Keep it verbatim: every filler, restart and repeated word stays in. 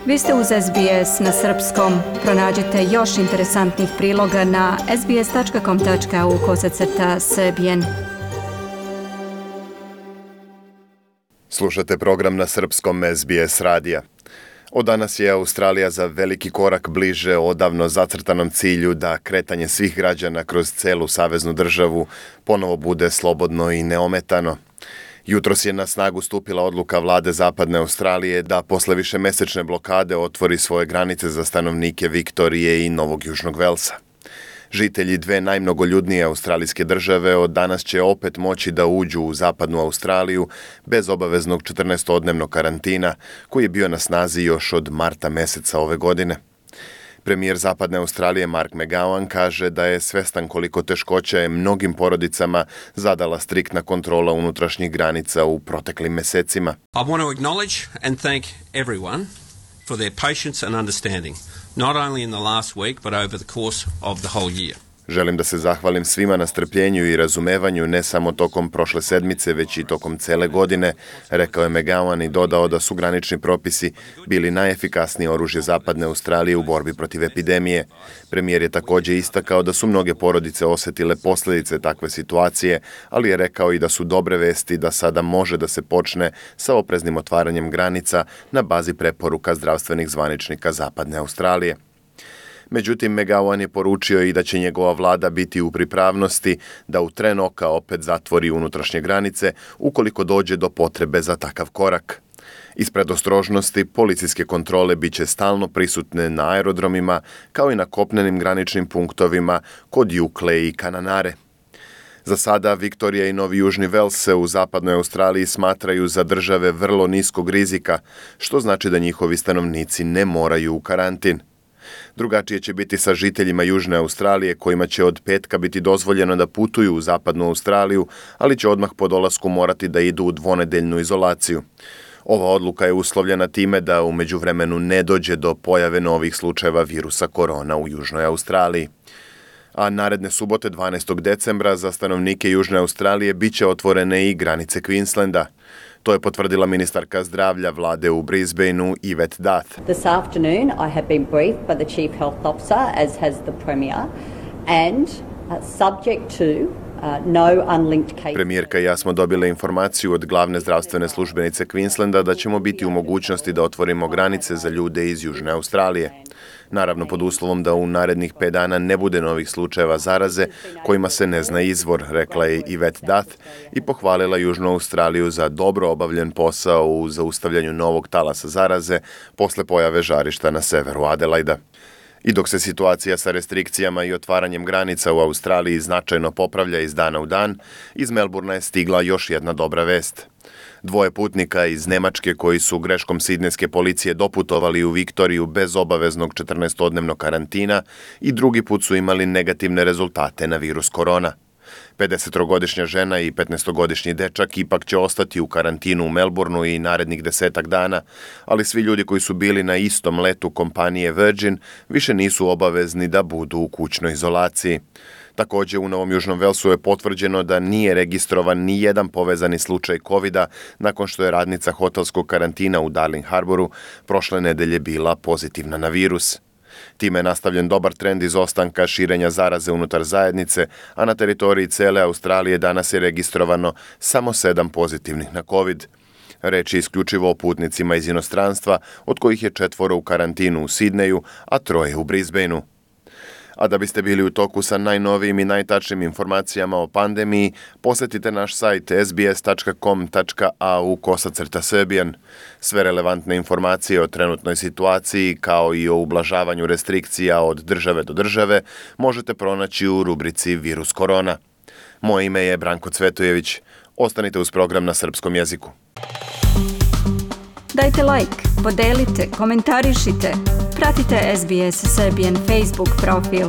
Vi ste uz S B S na srpskom. Pronađite još interesantnih priloga na sbs.com.au kosacrta srbijen. Slušate program na srpskom S B S radija. Od danas je Australija za veliki korak bliže odavno zacrtanom cilju da kretanje svih građana kroz celu saveznu državu ponovo bude slobodno i neometano. Jutros je na snagu stupila odluka vlade Zapadne Australije da posle višemesečne blokade otvori svoje granice za stanovnike Viktorije i Novog Južnog Velsa. Žitelji dve najmnogoljudnije australijske države od danas će opet moći da uđu u Zapadnu Australiju bez obaveznog četrnaestodnevnog karantina koji je bio na snazi još od marta meseca ove godine. Premijer Zapadne Australije Mark McGowan kaže da je svestan koliko teškoća je mnogim porodicama zadala striktna kontrola unutrašnjih granica u proteklim mesecima. I want to acknowledge and thank everyone for their patience and understanding, not only in the last week but over the course of the whole year. Želim da se zahvalim svima na strpljenju i razumevanju ne samo tokom prošle sedmice, već i tokom cele godine, rekao je McGowan i dodao da su granični propisi bili najefikasnije oružje Zapadne Australije u borbi protiv epidemije. Premijer je također istakao da su mnoge porodice osjetile posljedice takve situacije, ali je rekao i da su dobre vesti da sada može da se počne sa opreznim otvaranjem granica na bazi preporuka zdravstvenih zvaničnika Zapadne Australije. Međutim, McGowan je poručio i da će njegova vlada biti u pripravnosti da u tren oka opet zatvori unutrašnje granice ukoliko dođe do potrebe za takav korak. Iz predostrožnosti, policijske kontrole bit će stalno prisutne na aerodromima kao i na kopnenim graničnim punktovima kod Jukle i Kananare. Za sada Viktorija i Novi Južni Vels se u Zapadnoj Australiji smatraju za države vrlo niskog rizika, što znači da njihovi stanovnici ne moraju u karantin. Drugačije će biti sa žiteljima Južne Australije kojima će od petka biti dozvoljeno da putuju u Zapadnu Australiju, ali će odmah po dolasku morati da idu u dvonedeljnu izolaciju. Ova odluka je uslovljena time da u međuvremenu ne dođe do pojave novih slučajeva virusa korona u Južnoj Australiji. A naredne subote dvanaestog decembra za stanovnike Južne Australije bit će otvorene i granice Queenslanda. To je potvrdila ministarka zdravlja vlade u Brisbaneu Yvette Dath. This afternoon I have been briefed by the Chief Health Officer, as has the Premier, and uh, subject to uh, no unlinked cases. Premijerka i ja smo dobile informaciju od glavne zdravstvene službenice Queenslanda da ćemo biti u mogućnosti da otvorimo granice za ljude iz Južne Australije. Naravno pod uslovom da u narednih pet dana ne bude novih slučajeva zaraze kojima se ne zna izvor, rekla je Yvette Dath i pohvalila Južnu Australiju za dobro obavljen posao u zaustavljanju novog talasa zaraze posle pojave žarišta na severu Adelaida. I dok se situacija sa restrikcijama i otvaranjem granica u Australiji značajno popravlja iz dana u dan, iz Melbournea je stigla još jedna dobra vest. Dvoje putnika iz Nemačke koji su greškom sidnejske policije doputovali u Viktoriju bez obaveznog četrnaestodnevnog karantina i drugi put su imali negativne rezultate na virus korona. pedesetogodišnja žena i petnaestogodišnji dečak ipak će ostati u karantinu u Melbourneu i narednih desetak dana, ali svi ljudi koji su bili na istom letu kompanije Virgin više nisu obavezni da budu u kućnoj izolaciji. Također u Novom Južnom Velsu je potvrđeno da nije registrovan ni jedan povezani slučaj kovida nakon što je radnica hotelskog karantina u Darling Harboru prošle nedelje bila pozitivna na virus. Time je nastavljen dobar trend izostanka širenja zaraze unutar zajednice, a na teritoriji cele Australije danas je registrovano samo sedam pozitivnih na COVID. Reč je isključivo o putnicima iz inostranstva, od kojih je četvoro u karantinu u Sidneju, a troje u Brisbaneu. A da biste bili u toku sa najnovijim i najtačnijim informacijama o pandemiji, posjetite naš sajt s b s tačka com tačka a u kosacrta srbijen. Sve relevantne informacije o trenutnoj situaciji, kao i o ublažavanju restrikcija od države do države, možete pronaći u rubrici Virus korona. Moje ime je Branko Cvetojević. Ostanite uz program na srpskom jeziku. Dajte like, podelite, komentarišite. Pratite S B S Serbian Facebook profil.